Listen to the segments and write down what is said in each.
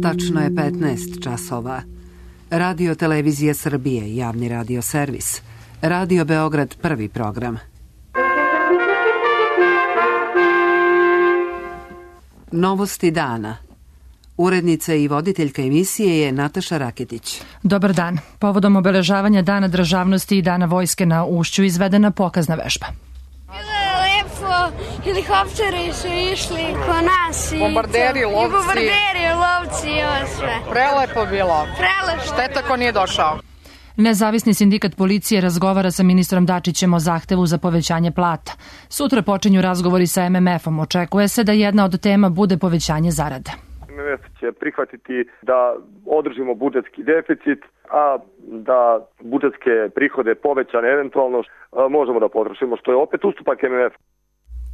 Tačno je 15 časova. Radio Televizija Srbije, javni radio servis. Radio Beograd, prvi program. Novosti dana. Urednica i voditeljka emisije je Nataša Raketić. Dobar dan. Povodom obeležavanja Dana državnosti i Dana vojske na Ušću izvedena pokazna vežba. Bilo je lepo, helikopteri su išli ko nas i bombarderi, lovci i ovo sve. Prelepo bilo. Prelepo. Šteta ko nije došao. Nezavisni sindikat policije razgovara sa ministrom Dačićem o zahtevu za povećanje plata. Sutra počinju razgovori sa MMF-om. Očekuje se da jedna od tema bude povećanje zarada. MMF će prihvatiti da održimo budžetski deficit, a da budžetske prihode povećane eventualno možemo da potrošimo, što je opet ustupak MMF.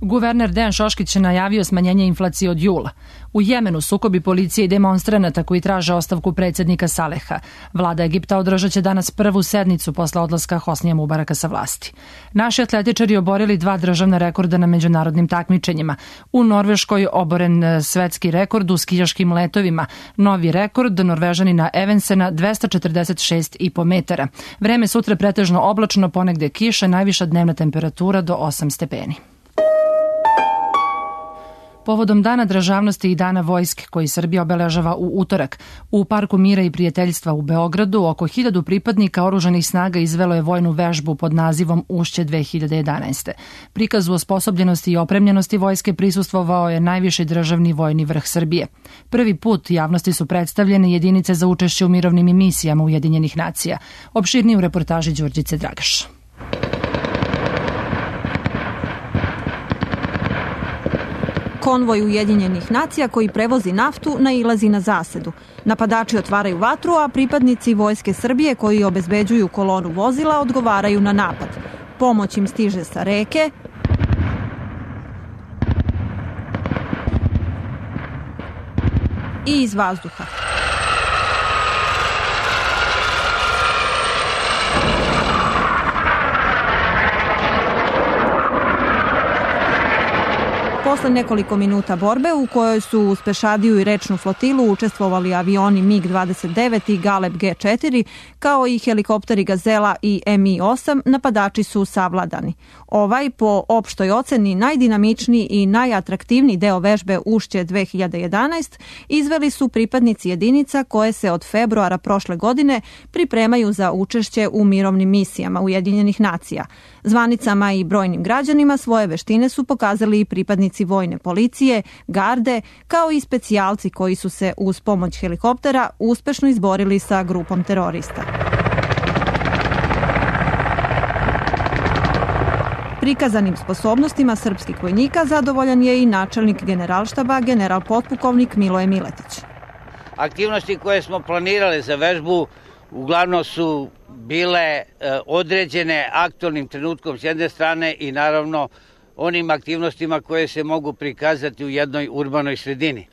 Guverner Dejan Šoškić je najavio smanjenje inflacije od jula. U Jemenu sukobi policije i demonstranata koji traže ostavku predsjednika Saleha. Vlada Egipta održat će danas prvu sednicu posle odlaska Hosnija Mubaraka sa vlasti. Naši atletičari oborili 2 državna rekorda na međunarodnim takmičenjima. U Norveškoj oboren svetski rekord u skijaškim letovima. Novi rekord Norvežanina Evensena 246,5 metara. Vreme sutra pretežno oblačno, ponegde kiša, najviša dnevna temperatura do 8 stepeni. Povodom Dana državnosti i Dana vojske, koji Srbija obeležava u utorak, u Parku mira i prijateljstva u Beogradu oko 1000 pripadnika oružanih snaga izvelo je vojnu vežbu pod nazivom Ušće 2011. Prikazu osposobljenosti i opremljenosti vojske prisustvovao je najviši državni vojni vrh Srbije. Prvi put javnosti su predstavljene jedinice za učešće u mirovnim misijama Ujedinjenih nacija. Opširnije u reportaži Đurđice Dragaš. Konvoj Ujedinjenih nacija koji prevozi naftu nailazi na zasedu. Napadači otvaraju vatru, a pripadnici Vojske Srbije koji obezbeđuju kolonu vozila odgovaraju na napad. Pomoć im stiže sa reke i iz vazduha. Posle nekoliko minuta borbe u kojoj su uz pešadiju i rečnu flotilu učestvovali avioni MiG-29 i Galeb G4, kao i helikopteri Gazela i Mi-8, napadači su savladani. Ovaj, po opštoj oceni, najdinamičniji i najatraktivniji deo vežbe Ušće 2011 izveli su pripadnici jedinica koje se od februara prošle godine pripremaju za učešće u mirovnim misijama Ujedinjenih nacija. Zvanicama i brojnim građanima svoje veštine su pokazali i pripadnici vojne policije, garde, kao i specijalci koji su se uz pomoć helikoptera uspešno izborili sa grupom terorista. Prikazanim sposobnostima srpskih vojnika zadovoljan je i načelnik Generalštaba, general potpukovnik Miloje Miletić. Aktivnosti koje smo planirali za vežbu uglavnom su bile određene aktualnim trenutkom s jedne strane i naravno onim aktivnostima koje se mogu prikazati u jednoj urbanoj sredini.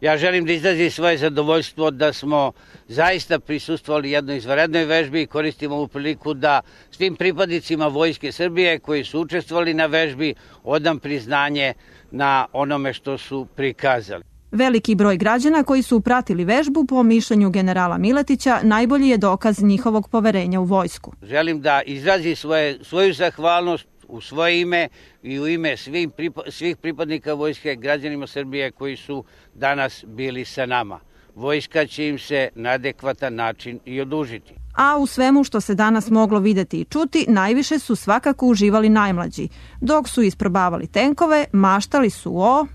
Ja želim da izrazim svoje zadovoljstvo da smo zaista prisustvovali jednoj izvanrednoj vežbi i koristimo ovu priliku da svim pripadnicima Vojske Srbije koji su učestvovali na vežbi odam priznanje na onome što su prikazali. Veliki broj građana koji su pratili vežbu, po mišljenju generala Miletića, najbolji je dokaz njihovog poverenja u vojsku. Želim da izrazim svoju zahvalnost u svoje ime i u ime svih pripadnika vojske, građanima Srbije koji su danas bili sa nama. Vojska će im se na adekvatan način i odužiti. A u svemu što se danas moglo videti i čuti, najviše su svakako uživali najmlađi. Dok su isprobavali tenkove, maštali su o...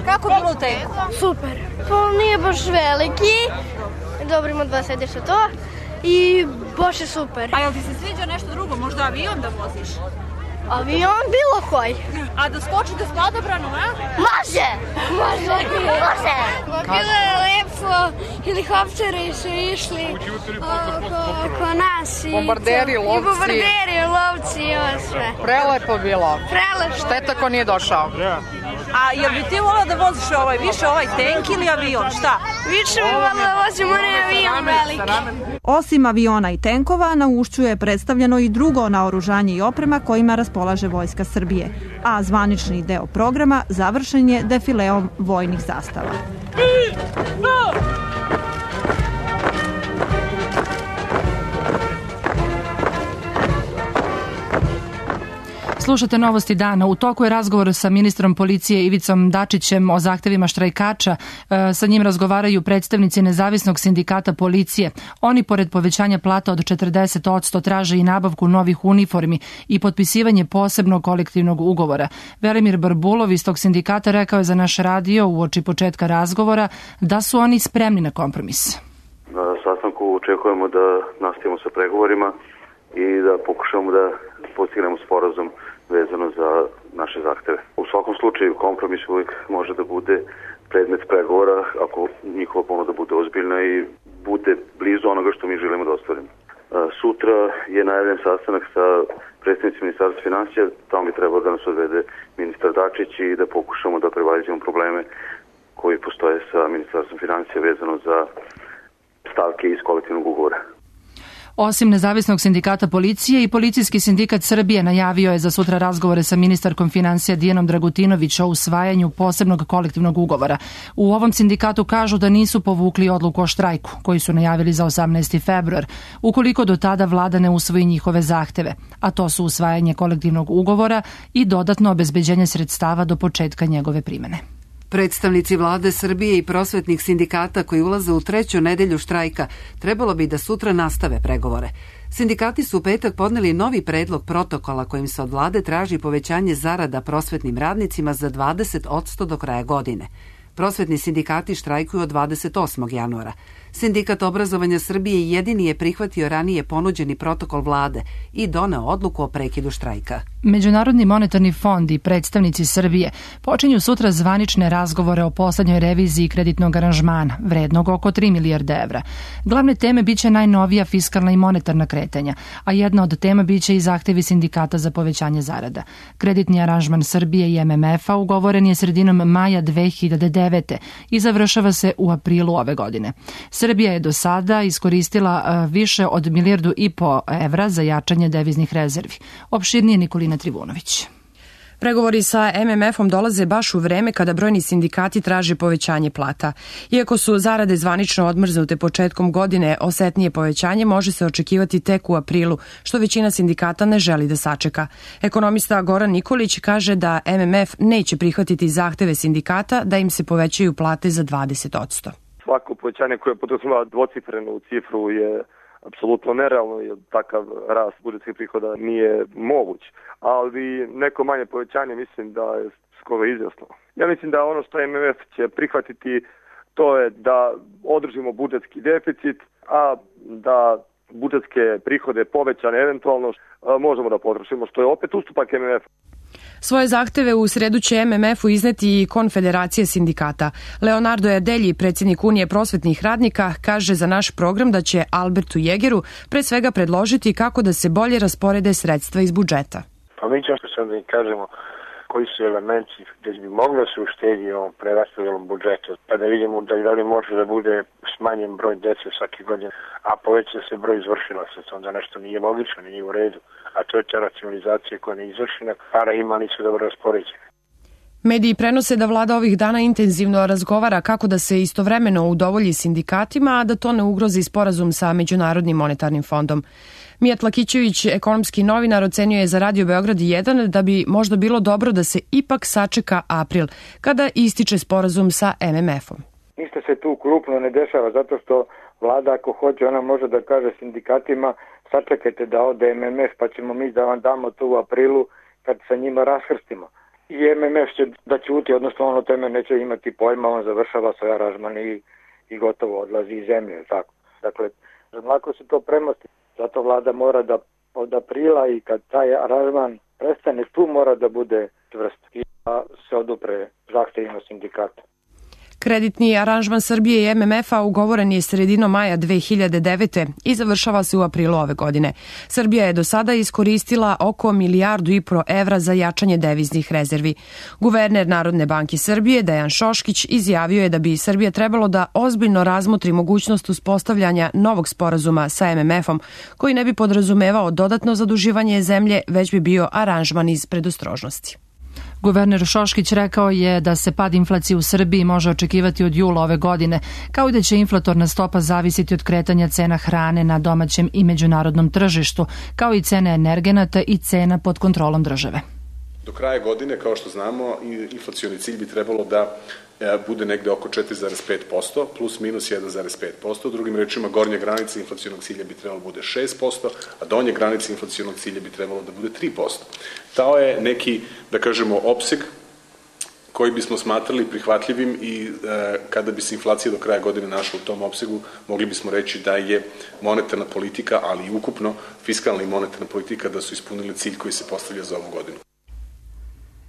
Kako je bilo u tenku? Super. Pa nije baš veliki. Dobro, ima 2 sedišta to. I baš je super. A jel ti se sviđa nešto drugo? Možda avion da voziš? Avion bilo koji. A da skočite s padobranom, a? Može! Bilo je lepo, helikopteri su išli ko nas i bombarderi, lovci i ovo sve. Prelepo bilo. Šteta ko nije došao. A jel bi ti volao da voziš više ovaj tank ili avion? Šta? Više bi volao da vozim onaj avion veliki. Osim aviona i tenkova, na Ušću je predstavljeno i drugo naoružanje i oprema kojima raspolaže Vojska Srbije, a zvanični deo programa završen je defileom vojnih zastava. Slušate Novosti dana. U toku je razgovor sa ministrom policije Ivicom Dačićem o zahtevima štrajkača. Sa njim razgovaraju predstavnici Nezavisnog sindikata policije. Oni, pored povećanja plata od 40%, traže i nabavku novih uniformi i potpisivanje posebnog kolektivnog ugovora. Velimir Barbulov iz tog sindikata rekao je za naš radio uoči početka razgovora da su oni spremni na kompromis. Na sastanku očekujemo da nastavimo sa pregovorima i da pokušamo da postignemo sporazum vezano za naše zahteve. U svakom slučaju kompromis uvijek može da bude predmet pregovora ako njihova ponuda bude ozbiljna i bude blizu onoga što mi želimo da ostvarimo. Sutra je najavljen sastanak sa predstavnicima Ministarstva finansija, tamo bi trebalo da nas odvede ministar Dačić i da pokušamo da prevaziđemo probleme koji postoje sa Ministarstvom finansija vezano za stavke iz kolektivnog ugovora. Osim Nezavisnog sindikata policije i Policijski sindikat Srbije najavio je za sutra razgovore sa ministarkom finansija Dijanom Dragutinović o usvajanju posebnog kolektivnog ugovora. U ovom sindikatu kažu da nisu povukli odluku o štrajku, koji su najavili za 18. februar, ukoliko do tada vlada ne usvoji njihove zahteve, a to su usvajanje kolektivnog ugovora i dodatno obezbeđenje sredstava do početka njegove primene. Predstavnici vlade Srbije i prosvetnih sindikata koji ulaze u treću nedelju štrajka trebalo bi da sutra nastave pregovore. Sindikati su u petak podneli novi predlog protokola kojim se od vlade traži povećanje zarada prosvetnim radnicima za 20% do kraja godine. Prosvetni sindikati štrajkuju od 28. januara. Sindikat obrazovanja Srbije jedini je prihvatio ranije ponuđeni protokol vlade i doneo odluku o prekidu štrajka. Međunarodni monetarni fond i predstavnici Srbije počinju sutra zvanične razgovore o poslednjoj reviziji kreditnog aranžmana, vrednog oko 3 milijarde evra. Glavne teme biće najnovija fiskalna i monetarna kretanja, a jedna od tema biće i zahtevi sindikata za povećanje zarada. Kreditni aranžman Srbije i MMF-a ugovoren je sredinom maja 2009. i završava se u aprilu ove godine. Srbija je do sada iskoristila više od 1,5 milijardu evra za jačanje deviznih rezervi. Opširnije Nikolina Trivunović. Pregovori sa MMF-om dolaze baš u vreme kada brojni sindikati traže povećanje plata. Iako su zarade zvanično odmrznute početkom godine, osetnije povećanje može se očekivati tek u aprilu, što većina sindikata ne želi da sačeka. Ekonomista Goran Nikolić kaže da MMF neće prihvatiti zahteve sindikata da im se povećaju plate za 20%. Svako povećanje koje podrazumeva dvocifrenu cifru je apsolutno nerealno, jer takav rast budžetskih prihoda nije moguć. Ali neko manje povećanje mislim da je skoro izjasno. Ja mislim da ono što MMF će prihvatiti to je da održimo budžetski deficit, a da budžetske prihode povećane eventualno možemo da potrošimo, što je opet ustupak MMF. Svoje zahteve u sredu će MMF-u izneti i Konfederacija sindikata. Leonardo Erdelji, predsjednik Unije prosvetnih radnika, kaže za naš program da će Albertu Jegeru pre svega predložiti kako da se bolje rasporede sredstva iz budžeta. Pa mi ćemo sad da im kažemo koji su elementi gdje bi moglo se uštediti ovom preraspodelom budžeta, pa da vidimo da li može da bude smanjen broj dece svake godine, a poveća se broj izvršilaca, onda nešto nije logično, nije u redu, a to je ta racionalizacija koja ne izvršena, para ima, nisu dobro raspoređene. Mediji prenose da vlada ovih dana intenzivno razgovara kako da se istovremeno udovolji sindikatima, a da to ne ugrozi sporazum sa Međunarodnim monetarnim fondom. Mijat Lakićević, ekonomski novinar, ocenjuje za Radio Beograd 1 da bi možda bilo dobro da se ipak sačeka april, kada ističe sporazum sa MMF-om. Ništa se tu krupno ne dešava, zato što vlada ako hoće, ona može da kaže sindikatima sačekajte da ode MMF pa ćemo mi da vam damo to u aprilu kad sa njima raskrstimo. I MMF će da ćuti, odnosno ono teme neće imati pojma, on završava svoj aranžman i gotovo odlazi iz zemlje. Tako. Dakle, lako se to premosti. Zato vlada mora da od aprila i kad taj aranžman prestane, tu mora da bude čvrst i da se odupre zahtevima sindikata. Kreditni aranžman Srbije i MMF-a ugovoren je sredinom maja 2009. i završava se u aprilu ove godine. Srbija je do sada iskoristila oko 1,5 milijardu evra za jačanje deviznih rezervi. Guverner Narodne banke Srbije, Dejan Šoškić, izjavio je da bi Srbija trebalo da ozbiljno razmotri mogućnost uspostavljanja novog sporazuma sa MMF-om, koji ne bi podrazumevao dodatno zaduživanje zemlje, već bi bio aranžman iz predostrožnosti. Guverner Šoškić rekao je da se pad inflacije u Srbiji može očekivati od jula ove godine, kao i da će inflatorna stopa zavisiti od kretanja cena hrane na domaćem i međunarodnom tržištu, kao i cene energenata i cena pod kontrolom države. Do kraja godine, kao što znamo, inflacioni cilj bi trebalo da bude negde oko 4,5%, plus minus 1,5%. Drugim rečima, gornja granica inflacionog cilja bi trebalo da bude 6%, a donja granica inflacionog cilja bi trebalo da bude 3%. Tao je neki, da kažemo, opseg koji bismo smatrali prihvatljivim i kada bi se inflacija do kraja godine našla u tom opsegu, mogli bismo reći da je monetarna politika, ali i ukupno fiskalna i monetarna politika da su ispunili cilj koji se postavlja za ovu godinu.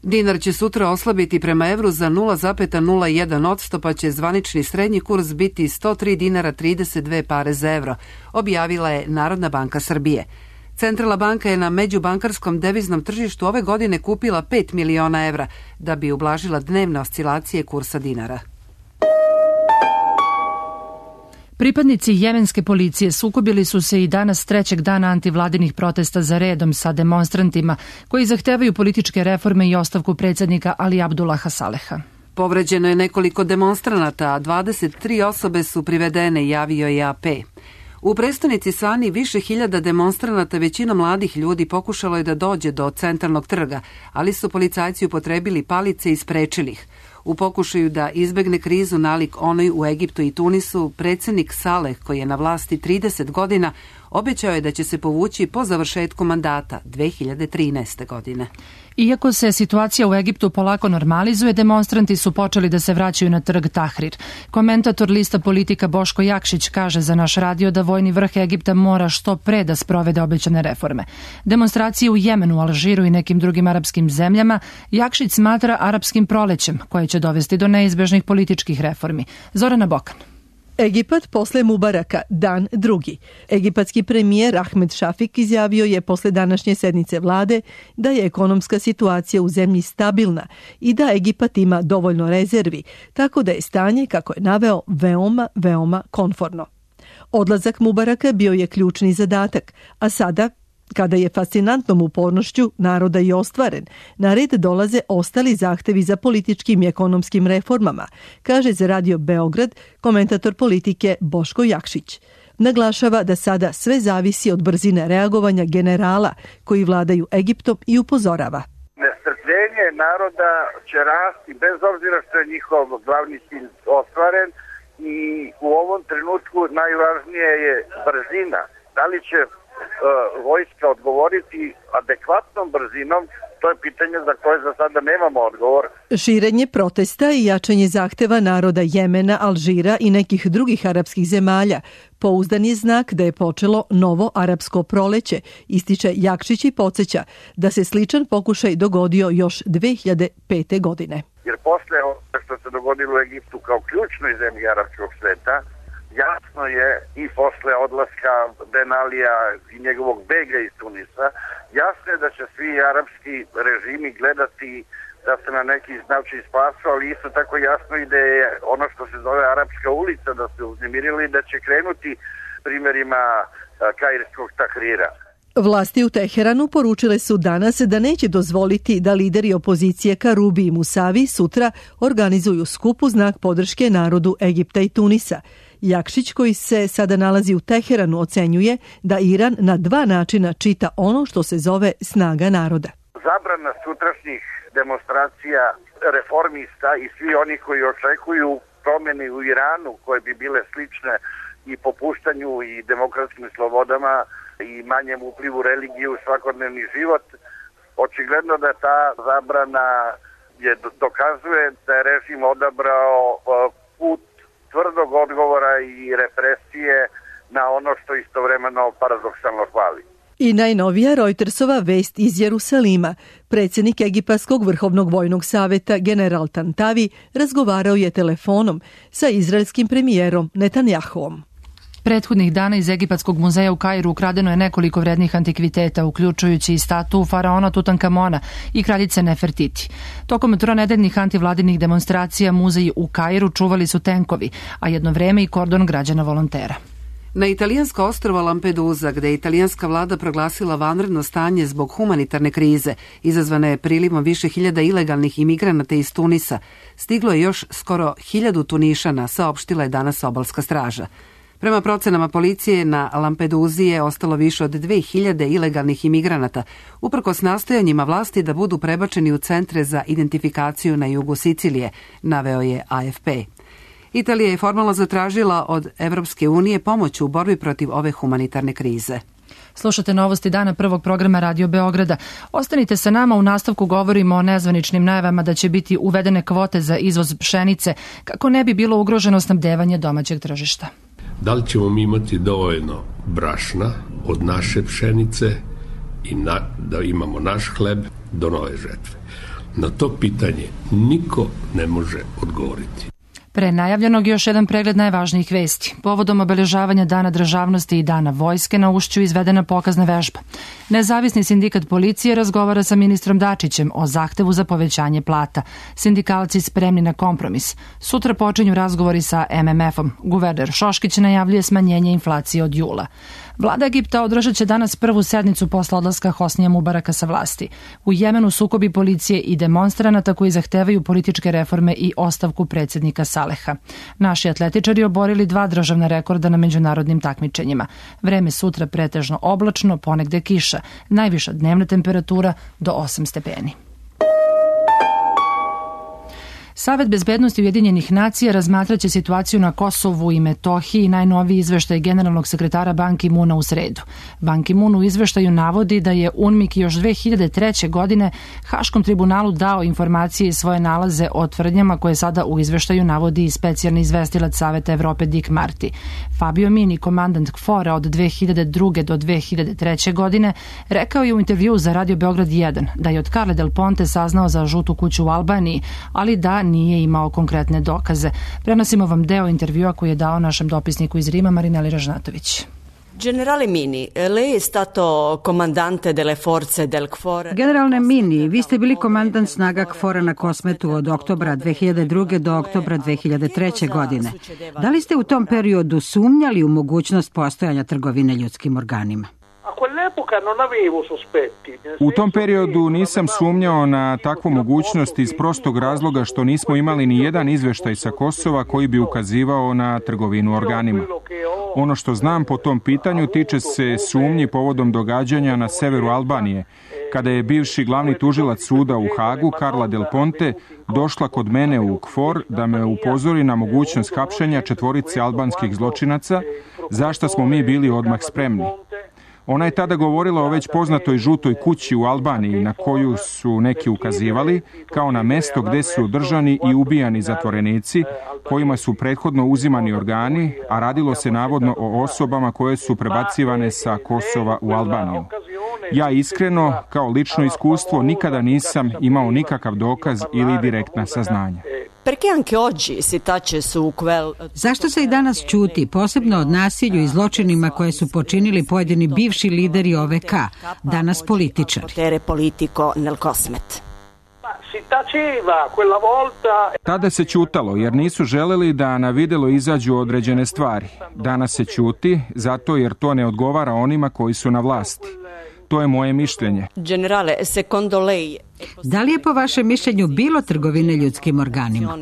Dinar će sutra oslabiti prema evru za 0,01%, pa će zvanični srednji kurs biti 103 dinara 32 pare za evro, objavila je Narodna banka Srbije. Centralna banka je na međubankarskom deviznom tržištu ove godine kupila 5 miliona evra da bi ublažila dnevne oscilacije kursa dinara. Pripadnici jemenske policije sukobili su se i danas trećeg dana antivladinih protesta za redom sa demonstrantima koji zahtevaju političke reforme i ostavku predsjednika Ali Abdullaha Saleha. Povređeno je nekoliko demonstranata, a 23 osobe su privedene, javio je AP. U prestonici Sani više hiljada demonstranata, većina mladih ljudi, pokušalo je da dođe do centralnog trga, ali su policajci upotrebili palice i sprečili ih. U pokušaju da izbegne krizu nalik onoj u Egiptu i Tunisu, predsjednik Saleh, koji je na vlasti 30 godina, obećao je da će se povući po završetku mandata 2013. godine. Iako se situacija u Egiptu polako normalizuje, demonstranti su počeli da se vraćaju na trg Tahrir. Komentator lista Politika Boško Jakšić kaže za naš radio da vojni vrh Egipta mora što pre da sprovede obećane reforme. Demonstracije u Jemenu, Alžiru i nekim drugim arapskim zemljama Jakšić smatra arapskim prolećem, koje će dovesti do neizbežnih političkih reformi. Zorana Bokan. Egipat posle Mubaraka, dan drugi. Egipatski premijer Ahmed Šafik izjavio je posle današnje sednice vlade da je ekonomska situacija u zemlji stabilna i da Egipat ima dovoljno rezervi, tako da je stanje, kako je naveo, veoma konforno. Odlazak Mubaraka bio je ključni zadatak, a sada, kada je fascinantnom upornošću naroda i ostvaren, na red dolaze ostali zahtevi za političkim i ekonomskim reformama, kaže za Radio Beograd komentator politike Boško Jakšić. Naglašava da sada sve zavisi od brzine reagovanja generala koji vladaju Egiptom i upozorava. Nestrpljenje naroda će rasti bez obzira što je njihov glavni cilj ostvaren i u ovom trenutku najvažnije je brzina. Da li će vojska odgovoriti adekvatnom brzinom, to je pitanje za koje za sada nemamo odgovor. Širenje protesta i jačanje zahteva naroda Jemena, Alžira i nekih drugih arapskih zemalja pouzdan je znak da je počelo novo arapsko proleće, ističe Jakšić i podsjeća da se sličan pokušaj dogodio još 2005. godine. Jer posle što se dogodilo u Egiptu kao ključnoj zemlji arapskog sveta, jasno je i posle odlaska Ben Alija i njegovog bega iz Tunisa, jasno je da će svi arapski režimi gledati da se na neki način spasu, ali isto tako jasno i da je ono što se zove Arapska ulica da se uznemirili i da će krenuti primjerima kairskog Tahrira. Vlasti u Teheranu poručile su danas da neće dozvoliti da lideri opozicije Karubi i Musavi sutra organizuju skup u znak podrške narodu Egipta i Tunisa. Jakšić, koji se sada nalazi u Teheranu, ocenjuje da Iran na dva načina čita ono što se zove snaga naroda. Zabrana sutrašnjih demonstracija reformista i svi oni koji očekuju promjene u Iranu koje bi bile slične i popuštanju i demokratskim slobodama i manjem uplivu religije u svakodnevni život, očigledno da ta zabrana dokazuje da je režim odabrao put tvrdog odgovora i represije na ono što istovremeno paradoksalno hvali. I najnovija Reutersova vest iz Jerusalima. Predsjednik Egipatskog vrhovnog vojnog saveta general Tantavi razgovarao je telefonom sa izraelskim premijerom Netanjahuom. Prethodnih dana iz Egipatskog muzeja u Kairu ukradeno je nekoliko vrednih antikviteta, uključujući i statu faraona Tutankamona i kraljice Nefertiti. Tokom tronedeljnih antivladinih demonstracija muzeji u Kairu čuvali su tenkovi, a jedno vreme i kordon građana volontera. Na italijansko ostrvo Lampedusa, gde je italijanska vlada proglasila vanredno stanje zbog humanitarne krize, izazvane je prilivom više hiljada ilegalnih imigranata iz Tunisa, stiglo je još skoro 1000 Tunišana, saopštila je danas obalska straža. Prema procenama policije, na Lampeduzi je ostalo više od 2000 ilegalnih imigranata, uprkos nastojanjima vlasti da budu prebačeni u centre za identifikaciju na jugu Sicilije, naveo je AFP. Italija je formalno zatražila od Evropske unije pomoć u borbi protiv ove humanitarne krize. Slušate novosti dana prvog programa Radio Beograda. Ostanite sa nama, u nastavku govorimo o nezvaničnim najavama da će biti uvedene kvote za izvoz pšenice kako ne bi bilo ugroženo snabdevanje domaćeg tržišta. Da li ćemo mi imati dovoljno brašna od naše pšenice i da imamo naš hleb do nove žetve? Na to pitanje niko ne može odgovoriti. Pre najavljenog još jedan pregled najvažnijih vesti. Povodom obeležavanja Dana državnosti i Dana vojske na Ušću izvedena pokazna vežba. Nezavisni sindikat policije razgovara sa ministrom Dačićem o zahtevu za povećanje plata. Sindikalci spremni na kompromis. Sutra počinju razgovori sa MMF-om. Guverner Šoškić najavljuje smanjenje inflacije od jula. Vlada Egipta održat će danas prvu sednicu posle odlaska Hosnija Mubaraka sa vlasti. U Jemenu sukobi policije i demonstranata koji zahtevaju političke reforme i ostavku predsjednika Saleha. Naši atletičari oborili 2 državna rekorda na međunarodnim takmičenjima. Vreme sutra pretežno oblačno, ponegde kiša. Najviša dnevna temperatura do 8 stepeni. Savet bezbednosti Ujedinjenih nacija razmatraće situaciju na Kosovu i Metohiji, najnoviji izveštaj generalnog sekretara Ban Ki-moona u sredu. Ban Ki-moon u izveštaju navodi da je UNMIK još 2003. godine Haškom tribunalu dao informacije i svoje nalaze o tvrdnjama koje sada u izveštaju navodi i specijalni izvestilac Saveta Evrope Dick Marty. Fabio Mini, komandant KFOR-a od 2002. do 2003. godine, rekao je u intervjuu za Radio Beograd 1 da je od Carle Del Ponte saznao za žutu kuću u Albaniji, ali da nije imao konkretne dokaze. Prenosimo vam deo intervjua koji je dao našem dopisniku iz Rima, Marineli Ražnatović. Generale Mini, lei è stato comandante delle forze del KFOR. Generalne Mini, vi ste bili komandant snaga KFOR-a na Kosmetu od oktobra 2002. do oktobra 2003. godine. Da li ste u tom periodu sumnjali u mogućnost postojanja trgovine ljudskim organima? U tom periodu nisam sumnjao na takvu mogućnost iz prostog razloga što nismo imali ni jedan izveštaj sa Kosova koji bi ukazivao na trgovinu organima. Ono što znam po tom pitanju tiče se sumnji povodom događanja na severu Albanije, kada je bivši glavni tužilac suda u Hagu, Carla Del Ponte, došla kod mene u KFOR da me upozori na mogućnost hapšenja 4 albanskih zločinaca, za što smo mi bili odmah spremni. Ona je tada govorila o već poznatoj žutoj kući u Albaniji na koju su neki ukazivali kao na mesto gde su držani i ubijani zatvorenici kojima su prethodno uzimani organi, a radilo se navodno o osobama koje su prebacivane sa Kosova u Albaniju. Ja iskreno, kao lično iskustvo, nikada nisam imao nikakav dokaz ili direktna saznanja. Zašto se i danas ćuti, posebno od nasilju i zločinima koje su počinili pojedini bivši lideri OVK, danas političari? Tada se ćutalo jer nisu želeli da na videlo izađu određene stvari. Danas se ćuti zato jer to ne odgovara onima koji su na vlasti. To je moje mišljenje. Generale, secondo lei... Da li je po vašem mišljenju bilo trgovine ljudskim organima?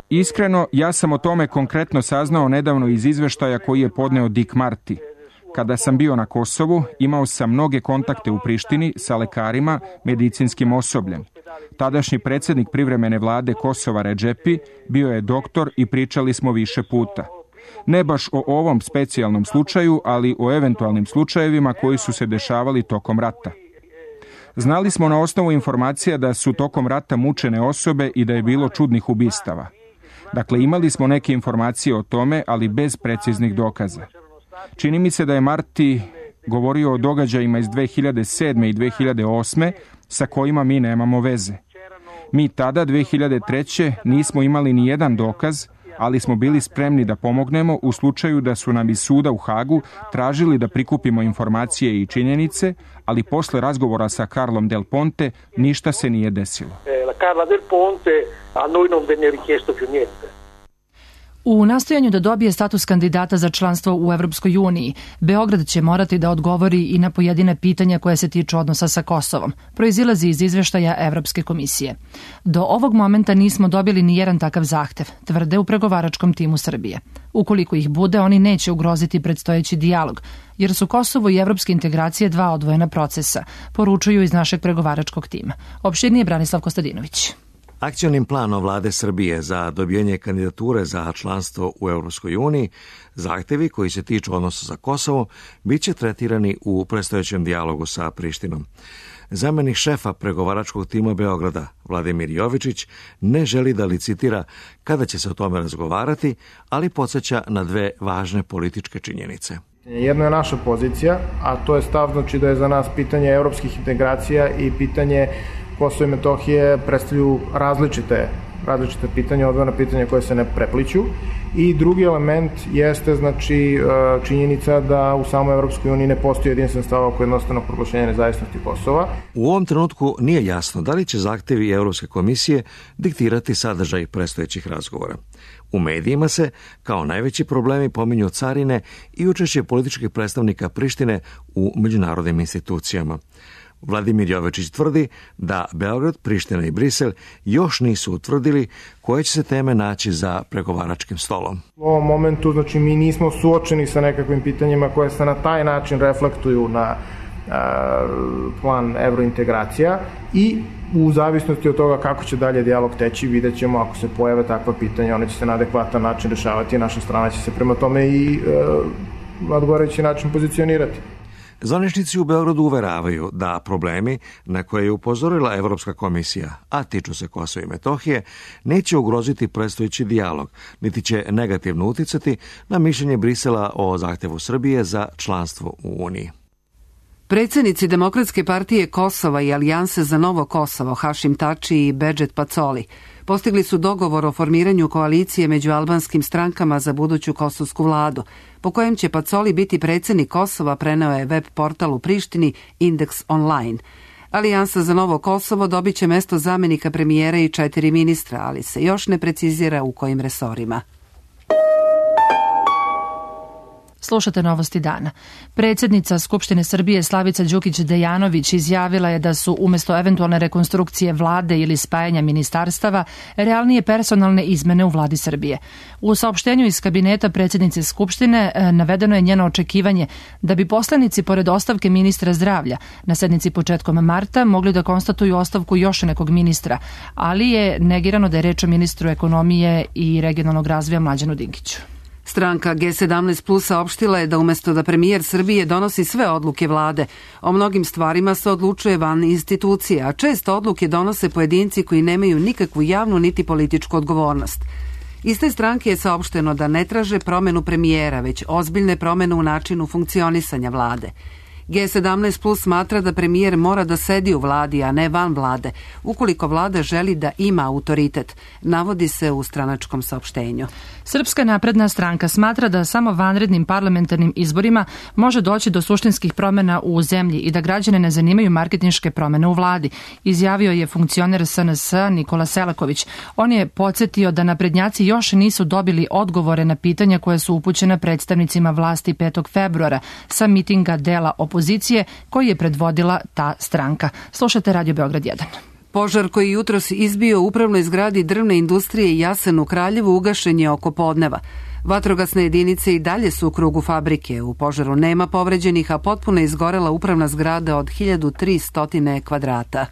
Iskreno, ja sam o tome konkretno saznao nedavno iz izveštaja koji je podneo Dick Marty. Kada sam bio na Kosovu, imao sam mnoge kontakte u Prištini sa lekarima, medicinskim osobljem. Tadašnji predsjednik privremene vlade Kosova Redžepi bio je doktor i pričali smo više puta. Ne baš o ovom specijalnom slučaju, ali o eventualnim slučajevima koji su se dešavali tokom rata. Znali smo na osnovu informacija da su tokom rata mučene osobe i da je bilo čudnih ubistava. Dakle, imali smo neke informacije o tome, ali bez preciznih dokaza. Čini mi se da je Marty govorio o događajima iz 2007. i 2008. sa kojima mi nemamo veze. Mi tada, 2003. nismo imali ni jedan dokaz, ali smo bili spremni da pomognemo u slučaju da su nam iz suda u Hagu tražili da prikupimo informacije i činjenice, ali posle razgovora sa Carlom Del Ponte ništa se nije desilo. U nastojanju da dobije status kandidata za članstvo u Evropskoj uniji, Beograd će morati da odgovori i na pojedine pitanja koje se tiču odnosa sa Kosovom, proizilazi iz izveštaja Evropske komisije. Do ovog momenta nismo dobili ni jedan takav zahtev, tvrde u pregovaračkom timu Srbije. Ukoliko ih bude, oni neće ugroziti predstojeći dijalog, jer su Kosovo i evropske integracije dva odvojena procesa, poručuju iz našeg pregovaračkog tima. Opširnije Branislav Kostadinović. Akcionim planom vlade Srbije za dobijanje kandidature za članstvo u Europskoj uniji, zahtevi koji se tiču odnosa sa Kosovom biće tretirani u predstojećem dijalogu sa Prištinom. Zamenik šefa pregovaračkog tima Beograda, Vladimir Jovičić, ne želi da licitira kada će se o tome razgovarati, ali podsjeća na dve važne političke činjenice. Jedno je naša pozicija, a to je stav, znači da je za nas pitanje evropskih integracija i pitanje Kosovo i Metohije predstavljaju različite pitanja, odvojena pitanja koje se ne prepliću. I drugi element jeste znači činjenica da u samoj Evropskoj uniji ne postoji jedinstven stav oko jednostavnog proglašenja nezavisnosti Kosova. U ovom trenutku nije jasno da li će zahtevi Evropske komisije diktirati sadržaj predstojećih razgovora. U medijima se kao najveći problemi pominju carine i učešće političkih predstavnika Prištine u međunarodnim institucijama. Vladimir Jovičić tvrdi da Beograd, Priština i Brisel još nisu utvrdili koje će se teme naći za pregovaračkim stolom. U ovom momentu znači mi nismo suočeni sa nekakvim pitanjima koje se na taj način reflektuju na plan evrointegracija i u zavisnosti od toga kako će dalje dijalog teći, vidjet ćemo ako se pojave takva pitanja, one će se na adekvatan način rešavati i naša strana će se prema tome i na odgovarajući način pozicionirati. Zvaničnici u Beogradu uveravaju da problemi na koje je upozorila Evropska komisija, a tiču se Kosova i Metohije, neće ugroziti predstojeći dijalog, niti će negativno uticati na mišljenje Brisela o zahtevu Srbije za članstvo u Uniji. Predsjednici Demokratske partije Kosova i Alijanse za Novo Kosovo, Hašim Tači i Bedžet Pacoli, postigli su dogovor o formiranju koalicije među albanskim strankama za buduću kosovsku vladu, po kojem će Pacoli biti predsjednik Kosova, preneo je web portal u Prištini Indeks Online. Alijansa za Novo Kosovo dobit će mesto zamenika premijera i 4 ministra, ali se još ne precizira u kojim resorima. Slušate Novosti dana. Predsjednica Skupštine Srbije Slavica Đukić-Dejanović izjavila je da su umjesto eventualne rekonstrukcije vlade ili spajanja ministarstava realnije personalne izmene u vladi Srbije. U saopštenju iz kabineta predsjednice Skupštine navedeno je njeno očekivanje da bi poslanici pored ostavke ministra zdravlja na sednici početkom marta mogli da konstatuju ostavku još nekog ministra, ali je negirano da je reč o ministru ekonomije i regionalnog razvoja Mlađanu Dinkiću. Stranka G17 Plus saopštila je da umjesto da premijer Srbije donosi sve odluke vlade, o mnogim stvarima se odlučuje van institucije, a često odluke donose pojedinci koji nemaju nikakvu javnu niti političku odgovornost. Iz te stranke je saopšteno da ne traže promjenu premijera, već ozbiljne promjene u načinu funkcionisanja vlade. G17 Plus smatra da premijer mora da sedi u vladi, a ne van vlade, ukoliko vlada želi da ima autoritet, navodi se u stranačkom saopštenju. Srpska napredna stranka smatra da samo vanrednim parlamentarnim izborima može doći do suštinskih promjena u zemlji i da građane ne zanimaju marketinške promjene u vladi, izjavio je funkcioner SNS Nikola Selaković. On je podsjetio da naprednjaci još nisu dobili odgovore na pitanja koje su upućena predstavnicima vlasti 5. februara sa mitinga dela opozicije koji je predvodila ta stranka. Slušate Radio Beograd 1. Požar koji jutros izbio u upravnoj zgradi drvne industrije Jasen u Kraljevu ugašen je oko podneva. Vatrogasne jedinice i dalje su u krugu fabrike. U požaru nema povređenih, a potpuno izgorela upravna zgrada od 1300 kvadrata.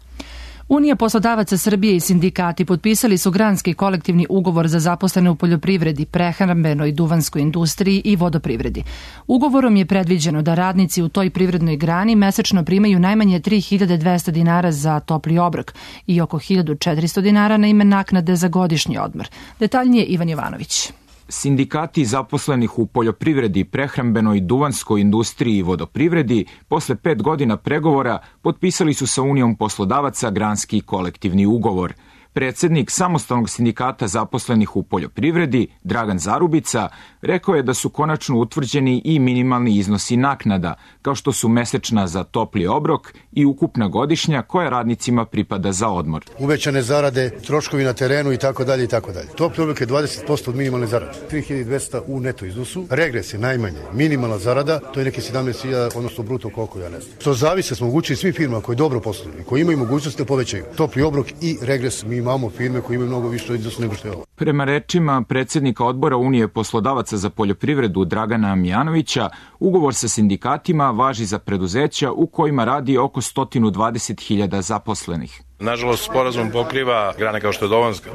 Unija poslodavaca Srbije i sindikati potpisali su granski kolektivni ugovor za zaposlene u poljoprivredi, prehrambenoj, duvanskoj industriji i vodoprivredi. Ugovorom je predviđeno da radnici u toj privrednoj grani mesečno primaju najmanje 3200 dinara za topli obrok i oko 1400 dinara na ime naknade za godišnji odmor. Detaljnije Ivan Jovanović. Sindikati zaposlenih u poljoprivredi, prehrambenoj, duvanskoj industriji i vodoprivredi posle 5 godina pregovora potpisali su sa Unijom poslodavaca granski kolektivni ugovor. Predsednik Samostalnog sindikata zaposlenih u poljoprivredi, Dragan Zarubica, rekao je da su konačno utvrđeni i minimalni iznosi naknada, kao što su mesečna za topli obrok i ukupna godišnja koja radnicima pripada za odmor. Uvećane zarade, troškovi na terenu i tako dalje i tako dalje. Topli obrok je 20% od minimalne zarade. 3200 u neto iznosu. Regres je najmanje. Minimalna zarada, to je neki 17.000, odnosno bruto koliko, ja ne znam. To zavise, smo omogućili svim firmama koji dobro posluju i koji imaju mogućnost da povećaju topli obrok i regres. Mi imamo firme koje imaju mnogo više iznos nego što je ovo. Prema rečima predsednika odbora Unije poslodavaca za poljoprivredu Dragana Mijanovića, ugovor sa sindikatima važi za preduzeća u kojima radi oko 120.000 zaposlenih. Nažalost, sporazum pokriva grane kao što je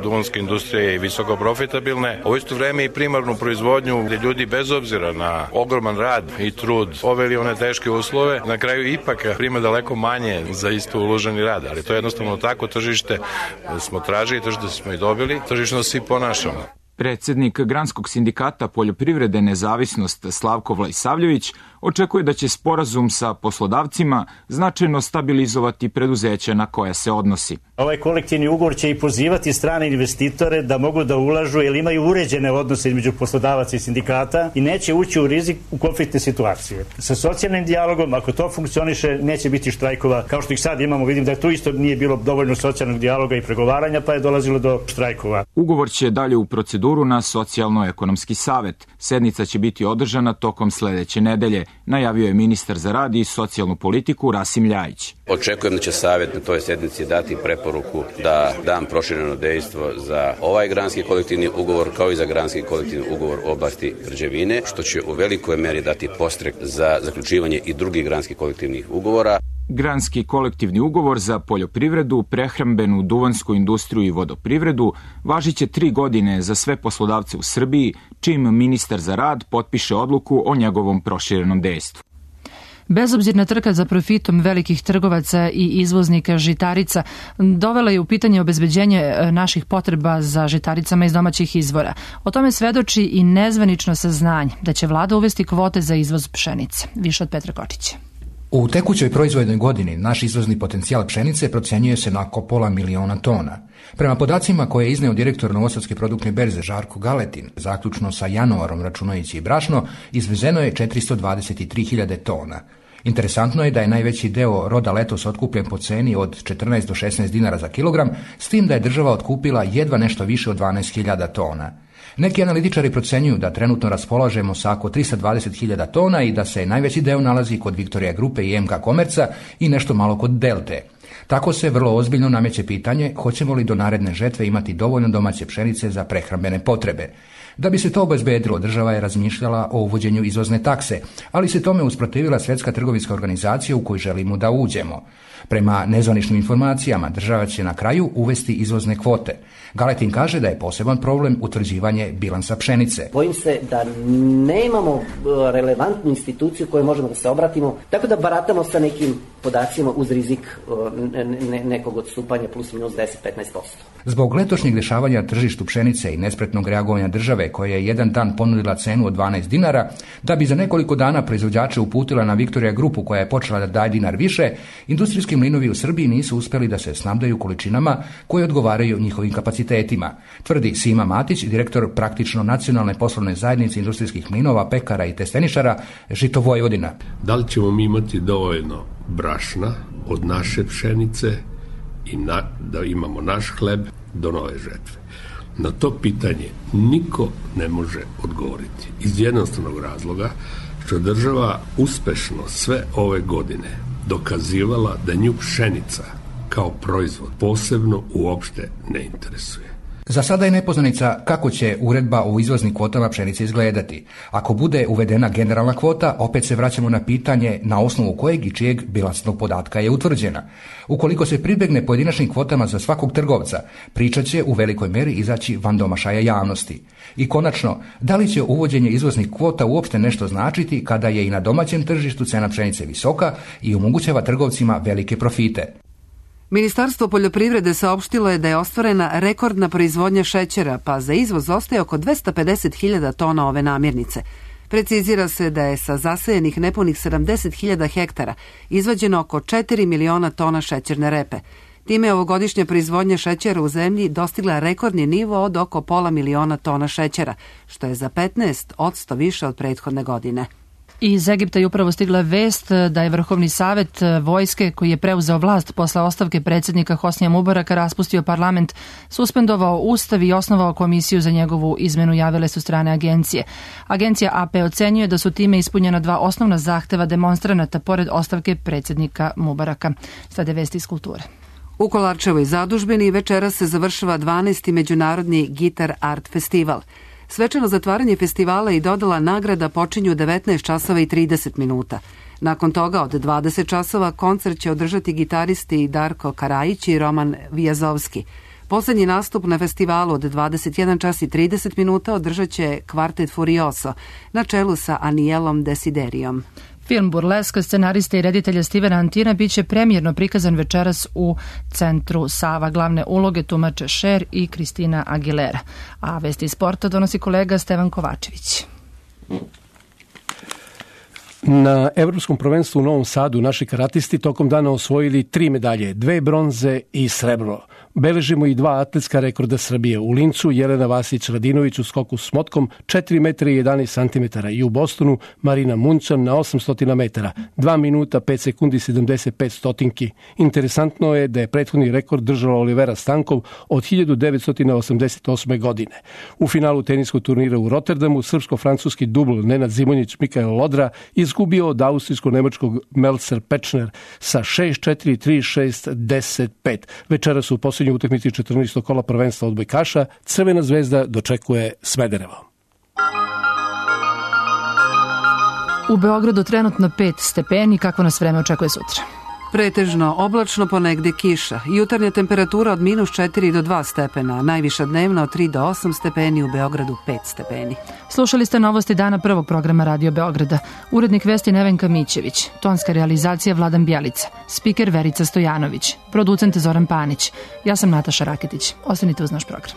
duvanska industrija i visoko profitabilne, a u isto vreme i primarnu proizvodnju gde ljudi bez obzira na ogroman rad i trud oveli one teške uslove, na kraju ipak prima daleko manje za isto uloženi rad, ali to je jednostavno tako tržište smo tražili, tržište smo i dobili, tržišno svi ponašamo. Predsednik Granskog sindikata poljoprivrede Nezavisnost Slavko Vlajsavljević očekuje da će sporazum sa poslodavcima značajno stabilizovati preduzeća na koja se odnosi. Ovaj kolektivni ugovor će i pozivati strane investitore da mogu da ulažu jer imaju uređene odnose između poslodavaca i sindikata i neće ući u rizik u konfliktne situacije. Sa socijalnim dijalogom, ako to funkcioniše, neće biti štrajkova. Kao što ih sad imamo, vidim da tu isto nije bilo dovoljno socijalnog dijaloga i pregovaranja, pa je dolazilo do štrajkova. Ugovor će dalje u proceduru na Socijalno-ekonomski savet. Sednica će biti održana tokom sledeće nedelje, najavio je ministar za rad i socijalnu politiku Rasim Ljajić. Očekujem da će Savet na toj sednici dati preporuku da dam prošireno dejstvo za ovaj granski kolektivni ugovor kao i za granski kolektivni ugovor u oblasti građevine, što će u velikoj meri dati podstrek za zaključivanje i drugih granskih kolektivnih ugovora. Granski kolektivni ugovor za poljoprivredu, prehrambenu, duvansku industriju i vodoprivredu važiće 3 godine za sve poslodavce u Srbiji, čim ministar za rad potpiše odluku o njegovom proširenom dejstvu. Bezobzirna trka za profitom velikih trgovaca i izvoznika žitarica dovela je u pitanje obezbeđenje naših potreba za žitaricama iz domaćih izvora. O tome svedoči i nezvanično saznanje da će vlada uvesti kvote za izvoz pšenice. Više od Petra Kočića. U tekućoj proizvodnoj godini naš izvozni potencijal pšenice procenjuje se na oko 500.000 tona. Prema podacima koje je izneo direktor Novosadske produktne berze Žarko Galetin, zaključno sa januarom računajući i brašno, izvezeno je 423.000 tona. Interesantno je da je najveći deo roda letos otkupljen po ceni od 14 do 16 dinara za kilogram, s tim da je država otkupila jedva nešto više od 12.000 tona. Neki analitičari procenjuju da trenutno raspolažemo sa oko 320.000 tona i da se najveći deo nalazi kod Viktorija Grupe i MK Komerca i nešto malo kod Delte. Tako se vrlo ozbiljno nameće pitanje hoćemo li do naredne žetve imati dovoljno domaće pšenice za prehrambene potrebe. Da bi se to obezbedilo, država je razmišljala o uvođenju izvozne takse, ali se tome usprotivila Svetska trgovinska organizacija u koju želimo da uđemo. Prema nezvaničnim informacijama, država će na kraju uvesti izvozne kvote. Galetin kaže da je poseban problem utvrđivanje bilansa pšenice. Bojim se da nemamo relevantnu instituciju koju možemo da se obratimo, tako da baratamo sa nekim podacima uz rizik nekog odstupanja plus minus 10-15%. Zbog letošnjeg dešavanja na tržištu pšenice i nespretnog reagovanja države koja je jedan dan ponudila cenu od 12 dinara, da bi za nekoliko dana proizvođače uputila na Viktorija Grupu koja je počela da daje dinar više, industrijski mlinovi u Srbiji nisu uspeli da se snabdaju količinama koje odgovaraju njihovim kapacitetima, tvrdi Sima Matić, direktor praktično Nacionalne poslovne zajednice industrijskih mlinova, pekara i testeničara Žito Vojvodina. Da li ćemo mi imati dovoljno brašna od naše pšenice i da imamo naš hleb do nove žetve? Na to pitanje niko ne može odgovoriti iz jednostavnog razloga što država uspešno sve ove godine dokazivala da nju pšenica kao proizvod posebno uopšte ne interesuje. Za sada je nepoznanica kako će uredba o izvoznim kvotama pšenice izgledati. Ako bude uvedena generalna kvota, opet se vraćamo na pitanje na osnovu kojeg i čijeg bilansnog podatka je utvrđena. Ukoliko se pribegne pojedinačnim kvotama za svakog trgovca, priča će u velikoj meri izaći van domašaja javnosti. I konačno, da li će uvođenje izvoznih kvota uopšte nešto značiti kada je i na domaćem tržištu cena pšenice visoka i omogućava trgovcima velike profite? Ministarstvo poljoprivrede saopštilo je da je ostvarena rekordna proizvodnja šećera, pa za izvoz ostaje oko 250.000 tona ove namirnice. Precizira se da je sa zasejenih nepunih 70.000 hektara izvađeno oko 4 miliona tona šećerne repe. Time je ovogodišnja proizvodnja šećera u zemlji dostigla rekordni nivo od oko 500.000 tona šećera, što je za 15% više od prethodne godine. Iz Egipta je upravo stigla vest da je Vrhovni savet vojske, koji je preuzeo vlast posle ostavke predsjednika Hosnija Mubaraka, raspustio parlament, suspendovao ustav i osnovao komisiju za njegovu izmenu, javile su strane agencije. Agencija AP ocenjuje da su time ispunjena dva osnovna zahteva demonstranata pored ostavke predsjednika Mubaraka. Sada je vesti iz kulture. U Kolarčevoj zadužbini večeras se završava 12. međunarodni Gitar Art festival. Svečano zatvaranje festivala i dodala nagrada počinju 19 časova i 30 minuta. Nakon toga od 20 časova koncert će održati gitaristi Darko Karajić i Roman Vijazovski. Poslednji nastup na festivalu od 21 čas i 30 minuta održat će kvartet Furioso na čelu sa Anielom Desiderijom. Film Burleska scenarista i reditelja Stevena Antina biće premijerno prikazan večeras u Centru Sava. Glavne uloge tumače Cher i Kristina Aguilera. A vesti iz sporta donosi kolega Stevan Kovačević. Na Evropskom prvenstvu u Novom Sadu naši karatisti tokom dana osvojili 3 medalje, 2 bronze i srebro. Beležimo i 2 atletska rekorda Srbije. U Lincu Jelena Vasić-Radinović u skoku s motkom 4 metra i 11 cm i u Bostonu Marina Muncan na 800 metara 2 minuta 5 sekundi 75 stotinki. Interesantno je da je prethodni rekord držala Olivera Stankov od 1988. godine. U finalu teniskog turnira u Rotterdamu srpsko-francuski dubl Nenad Zimonjić Mikael Lodra izgubio od austrijsko-nemačkog Melzer Pečner sa 6-4, 3-6, 10-5. Večera su u posljednjoj utakmici 14. kola prvenstva odbojkaša Crvena zvezda dočekuje Smederevo. U Beogradu trenutno 5 stepeni, kako nas vreme očekuje sutra? Pretežno oblačno, ponegde kiša. Jutarnja temperatura od -4 do 2 stepena, najviša dnevna od 3 do 8 stepeni, u Beogradu 5 stepeni. Slušali ste novosti dana prvog programa Radio Beograda. Urednik vesti Nevenka Mićević, tonska realizacija Vladan Bjelica, spiker Verica Stojanović, producent Zoran Panić. Ja sam Nataša Raketić. Ostanite uz naš program.